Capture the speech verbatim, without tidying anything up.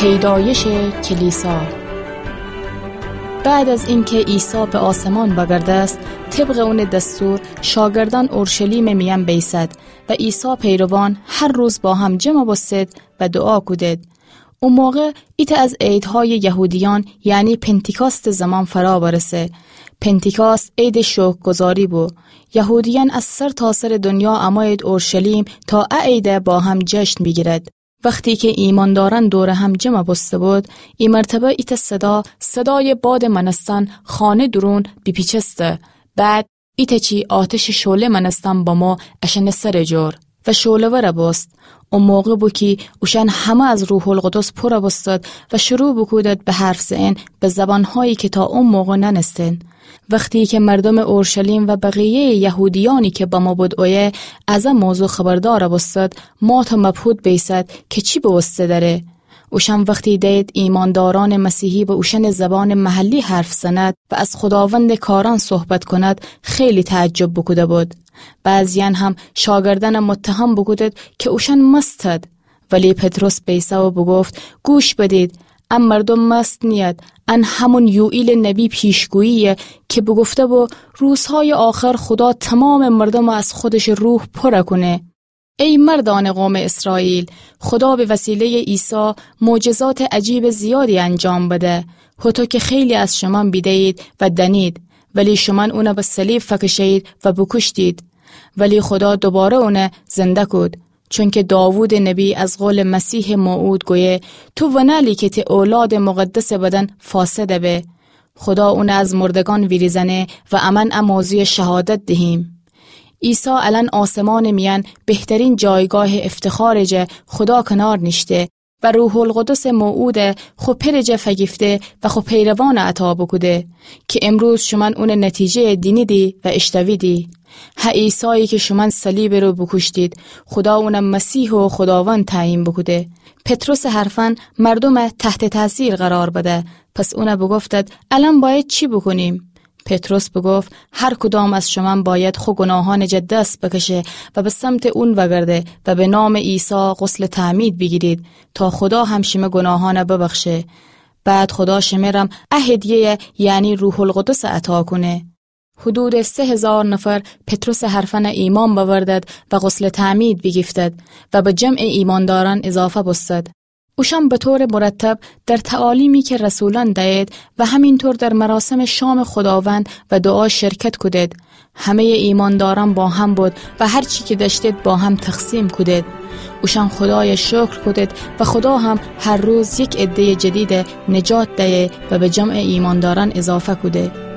پیدایش کلیسا. بعد از اینکه عیسی به آسمان بگردست، طبق اون دستور شاگردان اورشلیم میان بیسد و عیسی پیروان هر روز با هم جمع بوستد و دعا کودد. او موقع ایتأ از عیدهای یهودیان، یعنی پنتیکاست زمان فرا برسه. پنتیکاست عید شکرگزاری بو. یهودیان از سر تا سر دنیا اموید اورشلیم تا ا عید با هم جشن بیگیرد. وختی که ایمانداران دور هم جمع بوسته بود، ای مرتبه ایتأ صدا، صدای باد مانستن خانه درون بیپیچسته. بعد ایتأ چی آتش شعله مانستن بمو اشأن سر جور و شعله وره بوست. او موقع بو کی اوشأن همه از روح‌القدس پوره بوستد و شروع بوکودد به حرف زئن به زبانهایی که تا او موقع ننستن. وختی که مردم اورشلیم و بقیهٔ یهودیانی که بمو بود اویه از ا موضوع خبردار بوستد، مات و مبهوت بیسد که چی بوسته دره. اوشأن وختی دید ایمانداران مسیحی به اوشأن زبان محلی حرف زند و از خداوند کاران صحبت کند، خیلی تعجب بوکوده بود. بعضیان هم شاگردان متهم بوکودد که اوشأن مستد. ولی پطرس بیسه و بوگفت: گوش بدید، ا مردم مست نیید، ان همون یوئیل نبی پیشگوییه که بوگفته بو روزهای آخر خدا تمام مردم از خودش روح پوره کونه. ای مردان قوم اسرائیل، خدا به وسیلهٔ عیسی معجزات عجیب زیادی انجام بده، هوطو که خیلی از شمان بیده‌یید و دنید، ولی شمان اونه به صلیب فکشه‌یید و بوکوشتید. ولی خدا دوباره اونه زنده کود، چونکه داوود نبی از قول مسیح موعود گویه: تو ونألی که تی اولاد مقدس بدن فاسده به. خدا اونه از مردگان ویریزأنه و امأن ا موضوع شهادت دهیم. عیسی الأن آسمان میأن بهترین جایگاه افتخار جه خدا کنار نیشته و روح‌القدس موعود خو پئر جه فگیفته و خو پیروان عطا بوکوده که امروز شومأن اون نتیجه دینیدی و اشتویدی. ه عیسایی که شومأن صلیب رو بوکوشتید، خدا اون مسیح و خداوند تعیین بوکوده. پطرس حرفأن مردوم تحت تأثیر قرار بده. پس اون بوگفتد: الأن باید چی بوکونیم؟ پطرس بوگفت: هر کدام از شومأن باید خو گناهأن جه دست بکشه و به سمت اون وگرده و به نام عیسی غسل تعمید بیگیرید تا خدا هم شیمه گناهأن ببخشه. بعد خدا شمرم ا هدیه، یعنی روح‌القدس عطا کونه. حدود سه هزار نفر پطرس حرفأن ایمأن بأوردد و غسل تعمید بیگیفتد و به جمع ایماندارأن اضافه بوستد. اوشأن به طور مرتب در تعالیمی که رسولأن دأید و همینطور در مراسم شام خداوند و دعا شرکت کودد. همهٔ ایماندارأن با هم بود و هر چی که دأشتید با هم تقسیم کودد. اوشأن خدای شکر کودد و خدا هم هر روز یک عدهٔ جدید نجات دأیه و به جمع ایماندارأن اضافه کوده.